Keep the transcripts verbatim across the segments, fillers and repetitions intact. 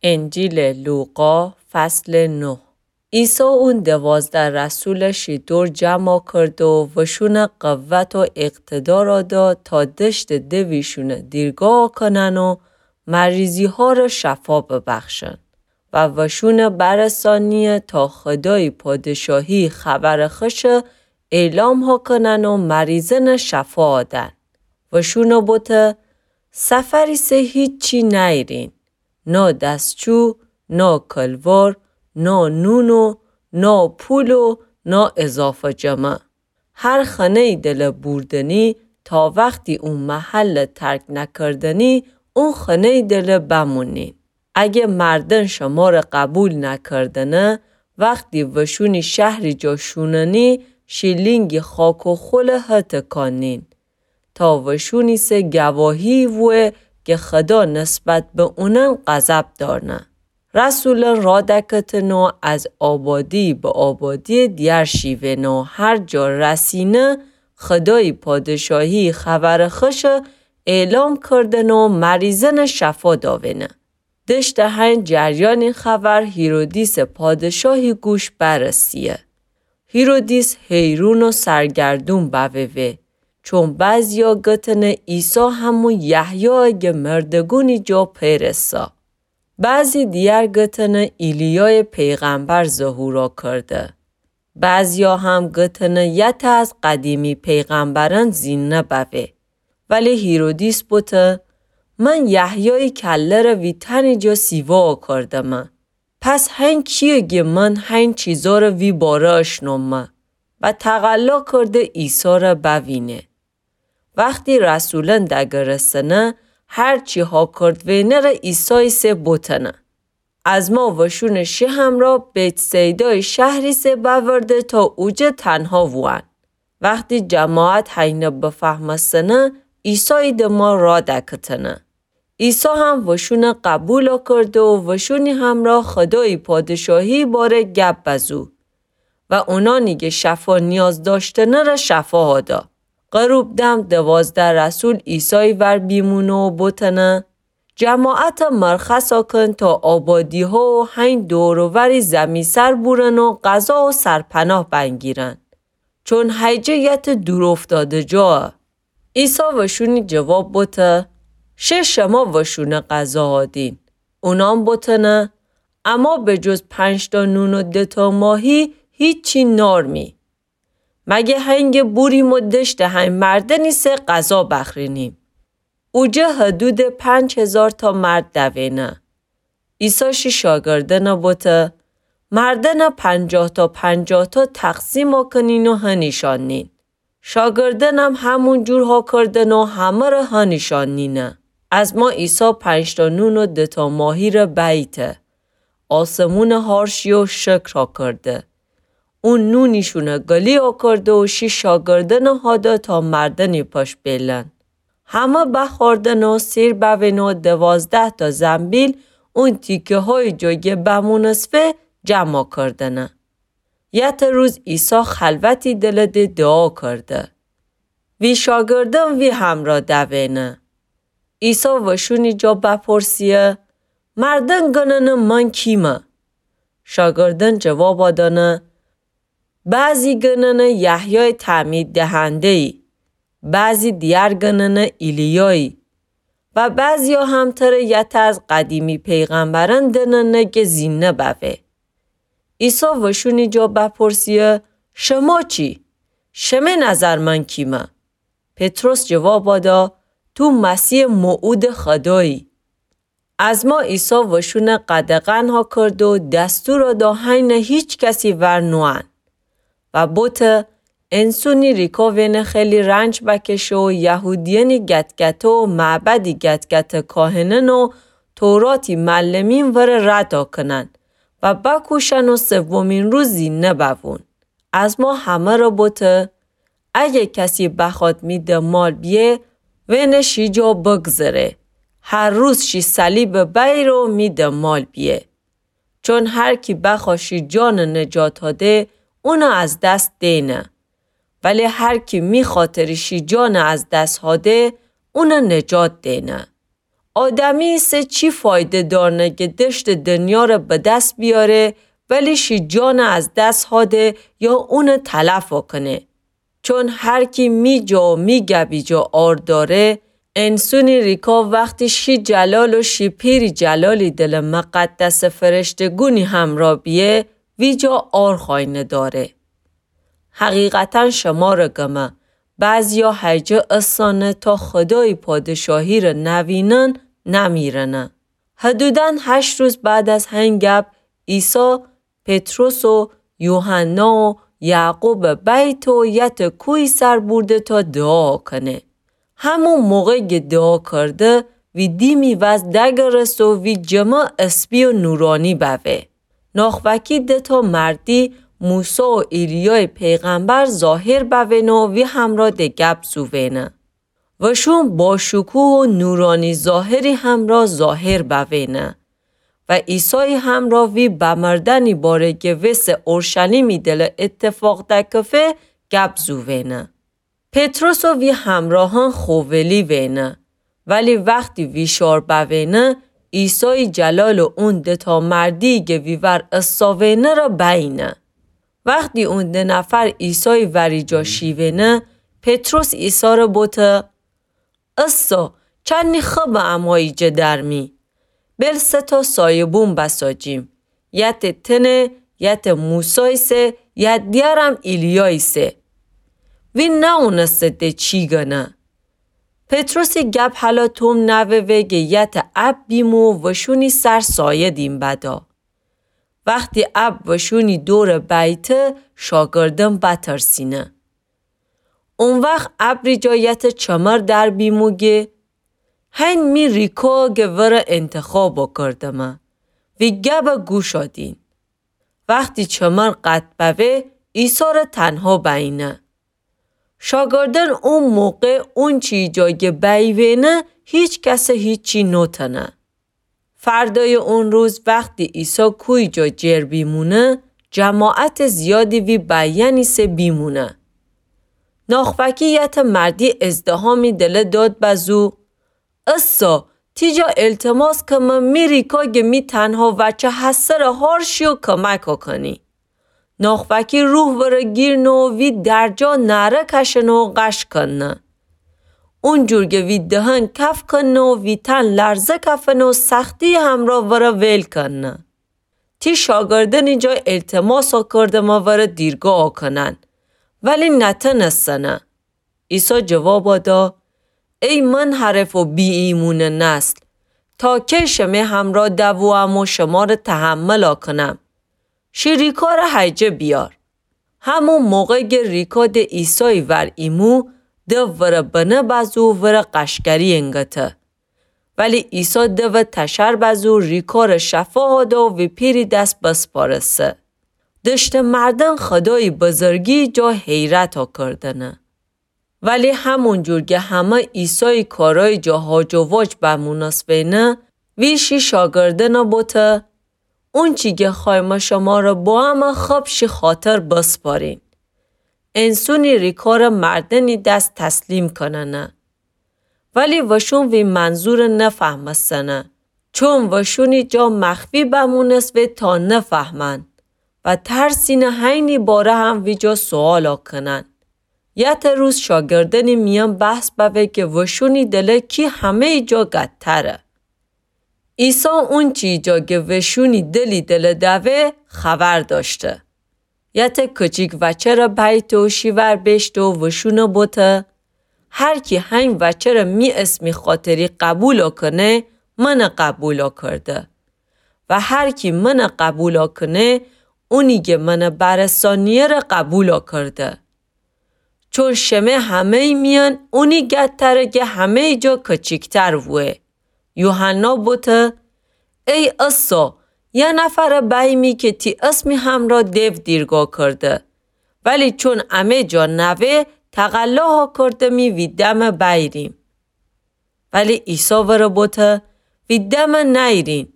انجیلٚ لوقا، فصلٚ نه. عیسی اون دوازده رسولٚ شی دور جمع کرد و وشونٚ قوت و اقتدار داد تا دشتٚ دویشونٚ دیرگاه کنن و مریضی‌هارٚ شفا ببخشن و وشونٚ برسانیه تا خودای پادشاهی خبرٚ خوشٚ اعلام ها کنن و مریضأنٚ شفا دن. وشونٚ بوته: سفر ایسه هیچی نیرین، نا دستچو، نا کلوار، نا نون و نا پول و نا اضافه جمعه. هر خانه‌یی دلٚ بوردنی تا وختی اون محلٚ ترک نکردنی، اون خانه‌یی دلٚ بمونین. اگه مردن شمارٚ قبول نکردنه، وختی وشونی شهری جا شوننی، شیلینگی خاک و خولٚ هتٚ کانین. تا وشونی سه گواهی ووه که خدا نسبت به اونن غضب دارنه. رسولن را دکتن و از آبادی به آبادی دیار شیون و هر جا رسینه، خدای پادشاهی خبرٚ خوشٚ اعلام کردن و مریضأنٚ شفا داوینه. دشتٚ هین جریانٚ خبر هیرودیسٚ پادشاهی گوش برسیه. هیرودیس حیرون و سرگردون بوه وه، چون بعضیا گتنه عیسی همون یحیایه که مردگونی جا پیرسا. بعضی دیگر گتنه ایلیایٚ پیغمبر ظهورا کرده. بعضیا هم گتنه یته از قدیمی پیغمبرأن زینده بوه. ولی هیرودیس بوته: من یحیایٚ کله‌ره وی تنی جا سیوا کردمه. پس هین کیه گه من هین چیزاره وی باره اشنومه؟ و تقلا کرده عیساره بوینه. وختی رسولأن دگرسنه، هر چی ها کرد وینره عیسایٚ سه بوتنه. از ما وشونٚ شی همرا بیت‌صیدایٚ شهری سه بأورده تا اوجه تنها ووأن. وختی جماعت هینه بفهمستنه، عیسایٚ دما را دکتنه. عیسی هم وشونه قبولا کرده و وشونی همرا خدایٚ پادشاهیٚ باره گب بزو و اونانی که شفا نیاز داشتنه ره شفا هادا. غروب دم دوازده رسول عیسایٚ ور بیمونه و بوتنه: جماعت مرخصا کن تا آبادی‌ها و هین دور و وری زمی سر بورن و غذا و سرپناه بنگیرن. چون هیجه یته دور افتاده جا. عیسی وشونی جواب بوته: شه شما وشونه غذا هادین. اونان بوتنه: اما به جز پنج تا نون و دو تا ماهی هیچی نارمی. مگه هنگه بوریم و دشتٚ هین مردنی سه غذا بخرینیم؟ اوجه حدودٚ پنج هزار تا مرد دوینه. عیسی شی شاگردنه بوته: مردنه پنجاه تا پنجاه تا تقسیما کنین و هنیشان نین. شاگردنم همون جور ها کردن و همه ره هنیشان نینه. از ما عیسی پنج تا نون و دو تا ماهی ره بیته. آسمونه هار شی و شکر ها کرده. اون نونیشونه گلی ها کرده و شی شاگردنه هاده تا مردنی پش بیلن. همه بخوردن و سیر بوین و دوازده تا زنبیل اون تیکه‌هایٚ جا گه بمونسوه جمع کردنه. یته روز عیسی خلوتی دلٚ ده دعا کرده. وی شاگردن وی همرا دوینه. عیسی وشونی جا بپرسیه: مردن گننه من کیمه؟ شاگردن جوابا دانه: بعضی گننه یحیایٚ تعمید دهنده‌یی، بعضی دیگر گننه ایلیایی و بعضیا هم تره یته از قدیمی پیغمبرأن دننه که زینده بوه. عیسی وشونی جا بپرسیه: شما چی؟ شمه نظر من کیمه؟ پطرس جوابا دا: تو مسیحٚ موعودٚ خدایی. از ما عیسی وشونه قدغن ها کرد و دستورا دا هینه هیچ کسی ور نوأن. و بوته: انسونی ریکا وینه خیلی رنج بکشه و یهودیأنی گتگته و معبدی گتگته کاهنأن و توراتی معلمین وره رد کنن و بکوشن و سومین روز زینده بوون. از ما همه ره بوته: اگه کسی بخواد می دنبال بیه، وینه شی جا بگذره. هر روز شی صلیبه بیره و می دنبال بیه. چون هر کی بخواد شی جانه نجات هاده، اونه از دس دینه. ولی هر کی می خاطری شی جانه از دس هاده، اونه نجات دینه. آدمی ایسه چی فایده دارنه کی دشتٚ دنیا ره به دس بیاره، ولی شی جانه از دس هاده یا اونه تلف آکنه؟ چون هر کی می جا و می گبی جا عار داره، انسونی ریکا وختی شی جلال و شی پیری جلالی دلٚ مقدسٚ فرشته‌گونی همرا بیه، وی جا عار خواینه داره. حقیقتاً شمره گمه، بعضیا هیجه اسانه تا خودایی پادشاهی ره نوینن نمیرنه. حدوداً هشت روز بعد از هین گب، عیسی پطرس و یوحنا و یعقوبٚ بیت و یتٚ کوهی سر بورده تا دوعا کنه. همون موقع کی دوعا کرده، وی دیمی وز دگرست و وی جمه اسپی و نورانی بوه. ناخوکی دو تا مردی موسی و ایلیایٚ پیغمبر ظاهر بوینه و وی همرا د گب زووینه. وشون باشکوه و نورانی ظاهری همرا ظاهر بوینه و عیسایی همرا وی بمردنی باره کی وسه اورشلیمی دلٚ اتفاق دکفه گب زووینه. پطرس و وی همراهان خوولی وینه، ولی وختی ویشار بوینه، عیسایی جلال و اون دو تا مردی کی وی ور اساوینه ره بینه. وختی اون دو نفر عیسایی وری جا شیوینه، پطرس عیسی ره بوته: اسا، چنی خبه اما ایجه درمی. بیل سه تا سایه‌بوم بساجیم. یتٚ تنه، یتٚ موسایسه، یتٚ دیگرم ایلیایسه. وی ناونسته د چی گنه. پطرسی گب هلا توم نووه کی یتٚ اب بیمو و وشونی سر سایه دیم بدا. وختی اب وشونی دورٚ بیته، شاگردن بترسینه. او وخت ابری جا یتٚ چمر در بیمو گه: هین می ریکا کی وره انتخاب کردمه، وی گبه گوش دین. وختی چمر قطع بوه، عیسی ره تنها بینه. شاگردن او موقع اونچی جا کی بیوینه، هیچ کسه هیچی نوتنه. فردایٚ اون روز وختی عیسی کوهی جا جر بیمونه، جماعتٚ زیادی وی بیینیسه بیمونه. ناخوکی یتٚ مردی ازدحامی دله داد بزو: اسا، تی جا التماس کمه می ریکا کی می تنها وچه هسه ره هار شی و کمک کنی. ناخوکی روح وره گیرنه و وی درجا نعره کشنه و غش کنه. اونجور کی وی دهن کف کنه و وی تن لرزه کفنه و سختی همرا وره ویل کنه. تی شاگردنی جا التماسا کردمه وره دیرگاه کنن، ولی نتنستنه. عیسی جوابا دا: ای منحرف و بی‌ایمونٚ نسل، تا کی شمه همرا دووم و شمره تحمل کنم؟ شی ریکا ره هیجه بیار. همون موقع کی ریکا د عیسایی ور ایمو، دو وره بنه بزو وره غشگری انگته. ولی عیسی دو تشر بزو ریکا ره شفا هاده و وی پیری دس بسپارسه. دشتٚ مردن خودایی بزرگی جا حیرتا کردنه. ولی همونجور کی همه عیسایی کارایی جا هاج و واج بمونسوینه، وی شی شاگردنه بوته: اونچی کی خوایمه شمره بوامه خب شی خاطر بسپارین. انسونی ریکا ره مردنی دس تسلیم کننه. ولی وشون وی منظور نفهمستنه، چون وشونی جا مخفی بمونسوه تا نفهمن و ترسینه هینی باره هم وی جا سوالا کنن. یتٚ روز شاگردنی میان بحث بوه کی وشونی دله کی همه‌یی جا گدتره. عیسی اونچی جا کی وشونی دلی دله دوه خبر داشته. یتٚ کچیک وچه ره بیته و شی ور بیشته و وشونه بوته: هر کی هین وچه ره می اسمی خاطری قبولا کنه، منه قبولا کرده. و هر کی منه قبولا کنه، اونی کی منه برسانیه ره قبولا کرده. چون شمه همه‌یی میان اونی گدتره کی همه‌یی جا کچیکتر ووه. یوحنا بوته: ای عیسی، یه نفره بیمی کی تی اسمی همرا دیو دیرگا کرده. ولی چون امه جا نوه، تقلا ها کردمی وی دمه بیریم. ولی عیسی وره بوته: وی دمه نیرین،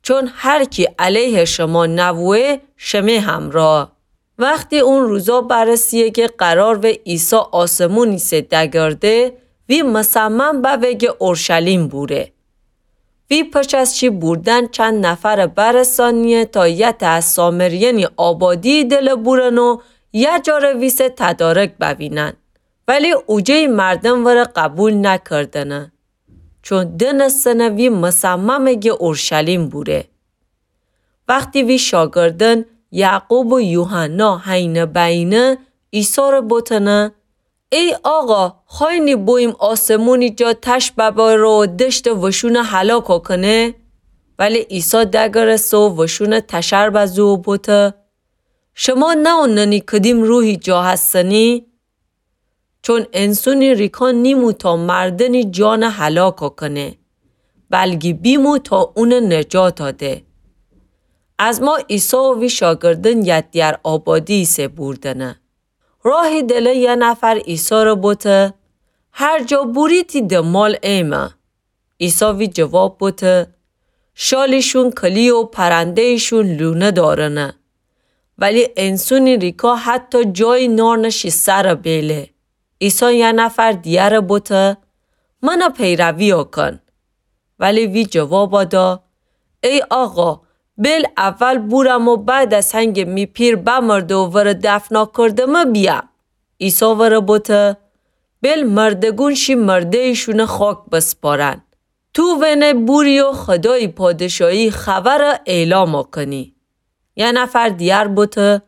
چون هر کی علیه شما نووه، شمه همرا. وختی اون روزا برسیه کی قرار وه عیسی آسمون ایسه دگرده، وی مصمم بوه کی اورشلیم بوره. وی پچ از شی بوردن چند نفرٚ برسانیه تا یه تأ از سامریأنی آبادی‌یٚ دله بورن و یه جا ره ویسه تدارک بوینن. ولی اوجه‌یٚ مردم وره قبول نکردنه، چون دأنستنه وی مصممه گه اورشلیم بوره. وختی وی شاگردأن یعقوب و یوحنا هینه بینه، عیسی ره بوتنه: ای آقا، خوأیی بوییم آسمونی جا تش ببره و دشتٚ وشونه هلاک کنه؟ ولی عیسی دگرسته و وشونه تشر بزو و بوته: شما نأوننی کدیم روحی جا هستنی؟ چون انسونی ریکا نیمو تا مردنی جانه هلاک کنه، بلکی بیمو تا اونه نجات ده. از ما عیسی و وی شاگردأن یه دیار آبادی ایسه بوردنه. راهی دله یه نفر عیسی ره بوته: هر جا بوری تی دمال ایمه. عیسی وی جواب بوته: شالیشون کلی و پرنده‌یشون لونه دارنه، ولی انسونی ریکا حتی جایی نارنه شی سرٚ بیله. عیسی یه نفر دیگره بوته: منه پیروی کن. ولی وی جواب دا: ای آقا، بیل اول بورم و بعد از هنگه می پیر بمرده و وره دفنا کردمه بیام. عیسی وره بوته: بیل مردگون شی مرده‌یشونه خاک بسپارن. تو وینه بوری و خدایی پادشاهی خبره اعلام کنی. یه نفر دیگر بوته: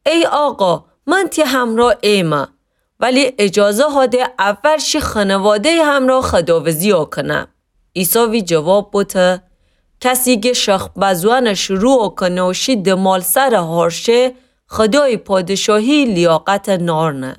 ای آقا، من تی همرا ایمه، ولی اجازه هده اول شی خانواده‌ی همرا خداوزی کنم. عیسی وی جواب بوته: کسی گه شخ بزوأنه شروع کنه و شی دمال سر هارشه، خدایی پادشاهی لیاقت نارنه.